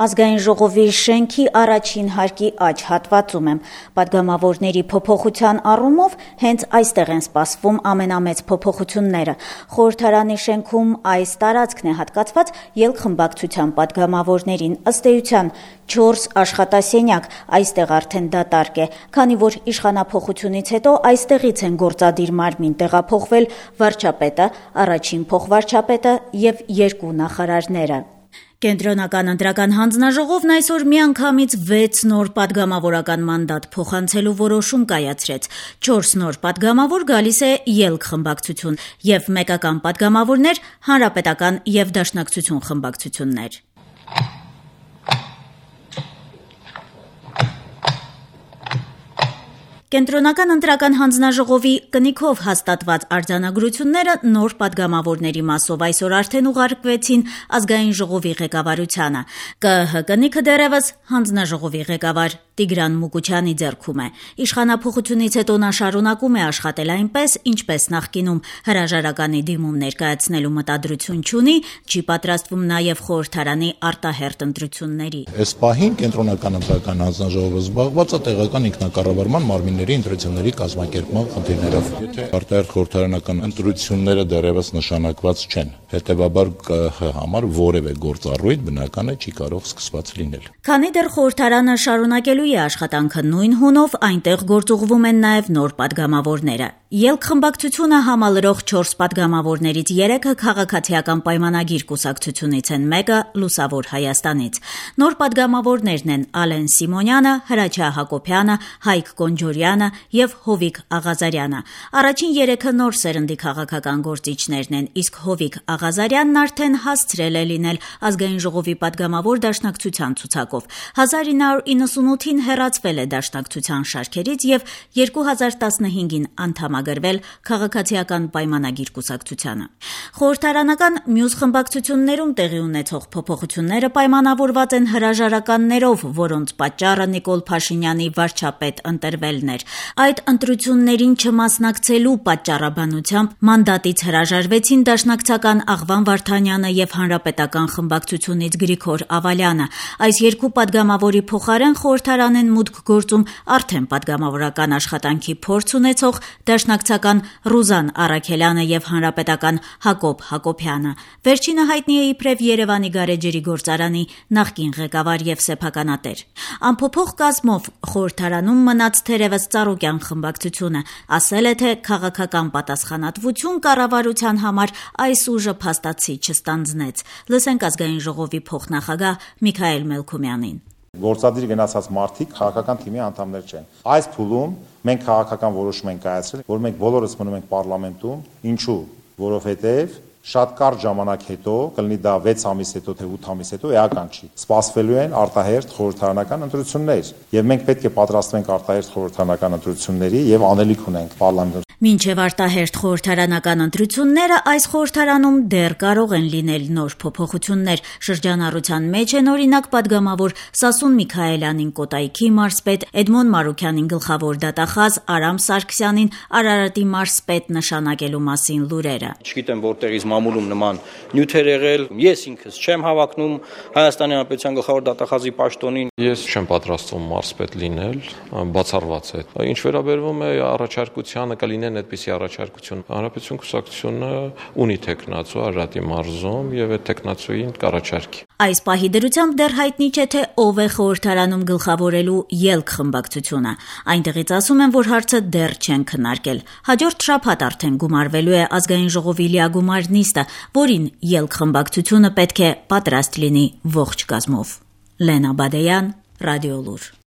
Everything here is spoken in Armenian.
Ազգային ժողովի շենքի առաջին հարկի աջ հատվածում եմ։ Պատգամավորների փոփոխության առումով հենց այստեղ են սպասվում ամենամեծ փոփոխությունները։ Խորհրդարանի շենքում այս տարածքն է հատկացված ելքխմբակցության պատգամավորներին, ըստ էության 4 աշխատասենյակ, այստեղ արդեն դատարկ է, քանի որ իշխանափոխությունից հետո այստեղից են գործադիր մարմին տեղափոխվել վարչապետը, առաջին փոխվարչապետը եւ 2 նախարարները։ Կենտրոնական ընտրական հանձնաժողովն այսօր միանգամից 6 նոր պատգամավորական մանդատ փոխանցելու որոշում կայացրեց։ 4 նոր պատգամավոր գալիս է ելք-խմբակցություն եւ մեկական պատգամավորներ հանրապետական եւ դաշնակցություն խմբակցություններ։ Կենտրոնական ընտրական հանձնաժողովի կնիքով հաստատված արձանագրությունները նոր պատգամավորների մասով այսօր արդեն ուղարկվեցին ազգային ժողովի ղեկավարությանը։ ԿԸՀ կնիքը դեռևս հանձնաժողովի ղեկավար Տիգրան Մուկուչյանի ձեռքում է։ Իշխանափոխությունից հետո նա շարունակում է աշխատել այնպես, ինչպես նախկինում, հրաժարականի դիմում ներկայացնելու մտադրություն չունի, չի պատրաստվում նաև խորհրդարանի արտահերթ ընտրությունների։ Այս պահին կենտրոնական ընտրական հանձնաժողովը զբաղված է տեղական ինքնակառավարման մարմինների ընտրությունների կազմակերպման խնդիրներով։ Եթե արտահերթ խորհրդարանական ընտրությունները դեռևս նշանակված չեն, հետևաբար ԿԸՀ համար որևէ գործառույթ բնական է չի կարող սկսված լինել։ Քանի դեռ խորհրդարանը շարունակելու է աշխատանքը նույն հունով, այնտեղ գործուղվում են նաև նոր պատգամավորները։ Ելք-խմբակցությունը համալրող 4 պատգամավորներից 3-ը քաղաքացիական պայմանագիր կուսակցությունից են, մեկը Լուսավոր Հայաստանից։ Նոր պատգամավորներն են Ալեն Սիմոնյանը, Հրաչյա Հակոբյանը, Հայկ Կոնջորյանը եւ Հովիկ Աղազարյանը։ Առաջին 3-ը նոր սերնդի քաղաքական գործիչներն են, իսկ Հովիկ Աղազարյանն արդեն հասցրել է լինել ազգային ժողովի պատգամավոր դաշնակցության ցուցակով։ 1998-ին հեռացվել է դաշնակցության շարքերից եւ 2015-ին անդամագրվել քաղաքացիական պայմանագիր կուսակցությանը։ Խորհրդարանական մյուս խմբակցություններում տեղի ունեցող փոփոխությունները պայմանավորված են հրաժարականներով, որոնց պատճառը Նիկոլ Փաշինյանի վարչապետ ընտրվելն էր։ Այդ ընտրություններին չմասնակցելու պատճառաբանությամբ մանդատից հրաժարվեցին դաշնակցական Աղվան Վարդանյանը եւ հանրապետական խմբակցությունից Գրիգոր Ավալյանը։ Այս 2 պատգամավորի փոխարեն խորհրդարան են մուտք գործում արդեն պատգամավորական աշխատանքի փորձ ունեցող դաշնակցական Ռուզան Առաքելյանը եւ հանրապետական Հակոբ Հակոբյանը։ Վերջինը հայտնի է իբրև Երևանի գարեջրի գործարանի նախկին ղեկավար եւ սեփականատեր։ Անփոփոխ կազմով խորհրդարանում մնաց թերևս Ծառուկյան խմբակցությունը, ասել է, թե քաղաքական պատասխանատվություն կառավարության համար այս ուժը փաստացի չստանձնեց։ Լսենք ազգային ժողովի փոխնախագահ Միքայել Մելքումյանին։ Գործադիր գնացած մարդիկ քաղաքական թիմի անդամներ չեն։ Այս փուլում մենք քաղաքական որոշում ենք կայացրել, որ մենք բոլորս մնում ենք պարլամենտում, ինչու, որովհետև շատ կարճ ժամանակ հետո, կլինի դա 6 ամիս հետո թե 8 ամիս հետո, էական չի։ Սպասվելու են արտահերթ խորհրդարանական ընտրություններ, եւ մենք պետք է պատրաստվենք արտահերթ խորհրդարանական ընտրությունների եւ անելիք ունենք պարլամենտում։ Մինչև արտահերթ խորհրդարանական ընտրությունները այս խորհրդարանում դեռ կարող են լինել նոր փոփոխություններ։ Շրջանառության մեջ են օրինակ պատգամավոր Սասուն Միքայելյանին Կոտայքի մարզպետ, Էդմոն Մարուքյանին գլխավոր դատախազ, Արամ Սարգսյանին Արարատի մարզպետ նշանակելու մասին լուրերը։ Չգիտեմ որտեղից մամուլում նման նյութեր եղել, ես ինքս չեմ հավակնում Հայաստանի Հանրապետության գլխավոր դատախազի պաշտոնին։ Ես չեմ պատրաստվում մարզպետ լինել, բացառված է։ Ինչ վերաբերվում է առաջարկությանը, կլինեն այդպիսի առաջարկություն։ Հանրապետություն կուսակցությունը ունի տեխնացու Արարատի մարզում եւ այդ տեխնացուին կառաջարկի։ Այս պահի դրությամբ դեռ հայտնի չէ, թե ով է խորհրդարանում գլխավորելու ելք խմբակցությունը։ Այնտեղից ասում են, որ հարցը դեռ չեն քննարկել։ Հաջորդ շաբաթ արդեն գումարվելու է ազգային ժողովի լիագումար նիստը, որին ելք խմբակցությունը պետք է պատրաստ լինի ողջ կազմով։ Լենա Բադեյան, Ռադիոլուր։